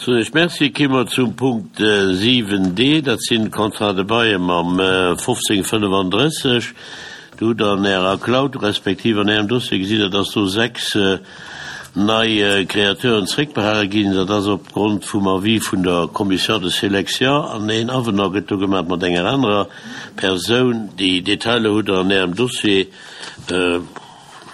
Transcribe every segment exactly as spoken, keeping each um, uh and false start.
Soen ech Merci. Ki mer zum Punkt siwen D, dat sinn d'Contrats de bail mam fofzéng fënnefandrësseg. Do hutt Der an Ärer Cloud respektiv an Ärem Dossier gesinn, dass do sechs nei Créateuren zréckbehale ginn. Dat ass opgrond vum Avis vun der Commission de sélection an een Avenant gëtt do gemaach mat enger anerer Persoun. Déi Detailer hutt Der an Ärem Dossier.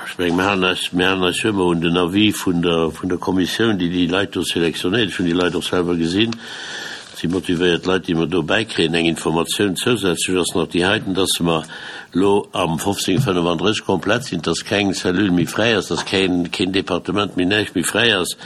Ech mengen, mir halen eis, mir halen eis jo ëmmer un den Avis vun der, vun der Kommissioun, déi déi Leit do sélectionnéiert. Ech hunn déi Leit och selwer gesinn. Et si motivéiert Leit, déi mer do bäikréien. Eng Informatioun zousätzlech ass nach déi heiten, dass mer elo am fofzéng fënnefandrësseg komplett sinn, dass keng Cellule méi fräi ass, dass keen, keen Departement méi, näischt méi fräi ass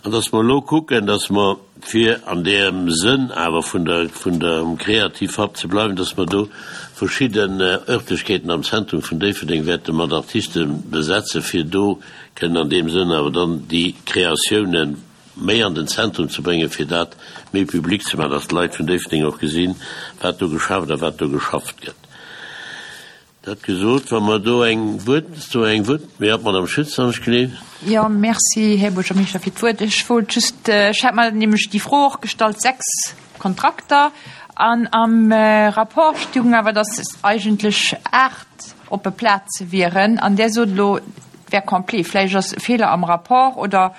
an dass mer elo kucken, dass mer, fir an deem Sënn awer vun der, vun dem Kreativhub ze bleiwen, dass mer do verschidden Örtlechkeeten am Zentrum vun Déifferdeng wäerte mat Artiste besetzen, fir do kënnen an deem Sënn awer dann déi Kreatiounen méi an den Zentrum ze bréngen, fir dat méi public ze maachen, dass d'Leit vun Déifferdeng och gesinn, wat do geschafft a wat do geschafft gëtt. Dat gesot, wa mer do eng Wuert, do eng Wuert, jo, d'Madame Schütz, han ech geleent. Jo, merci, Här Buergermeeschter, fir d'Wuert. Ech wollt just, ech hat mer nämlech déi Fro och gestallt, sechs Kontrakter, an am Rapport stoung awer, dass eigentlech aacht oppe Plaze wieren, an där sot elo, et wär complet. Vläicht ass e Feeler am Rapport oder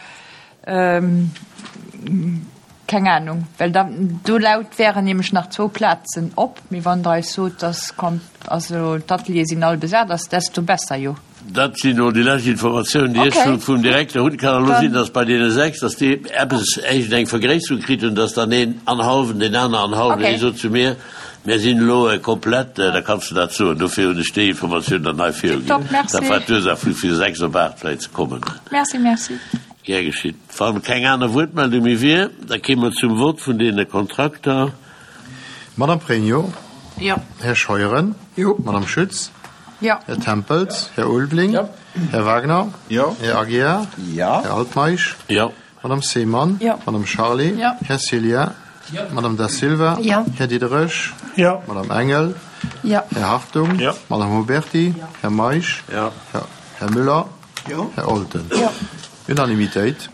keng Ahnung, well da do laut wären nämlech nach zwou Plazen op. Mee wann Der eis sot, dass kommt, also d'Ateliere sinn all besat ass, desto besser jo. Dat sinn elo déi lescht Informatiounen, déi ech vum, vum Direkter hunn. Kann elo sinn, dass bei deene sechs, dass déi eppes éischt eng Vergréisserung kritt hunn, dass dann een an hallwen, deen aner an hallwen, dee sot zu mir, mir sinn elo komplett, da kanns de dat soen. Dofir hunn ech déi Informatioun dann hei viruginn. Tiptop, merci. Dat war d'Ursaach, vu vu sechs op aacht vläicht ze kommen. Merci, merci. Gär geschitt. Wann keng aner Wuertmeldung méi wier, da kéime mer zum Vott vun deene Kontrakter. Madame Pregno. Jo. Här Scheuren. Jo. Madame Schütz. Jo. Här Tempels. Här Ulveling. Jo. Här Wagner. Jo. Här Aguiar. Jo. Här Altmeisch. Jo. Madame Seemann. Jo. Madame Charlé. Jo. Här Cillien. Jo. Madame Da Silva. Jo. Här Diderich. Jo. Madame Engel. Jo. Här Hartung. Jo. Madame Huberty. Jo. Här Meisch. Jo. Här Müller. Jo. Här Olten. Jo. Unanimitéit.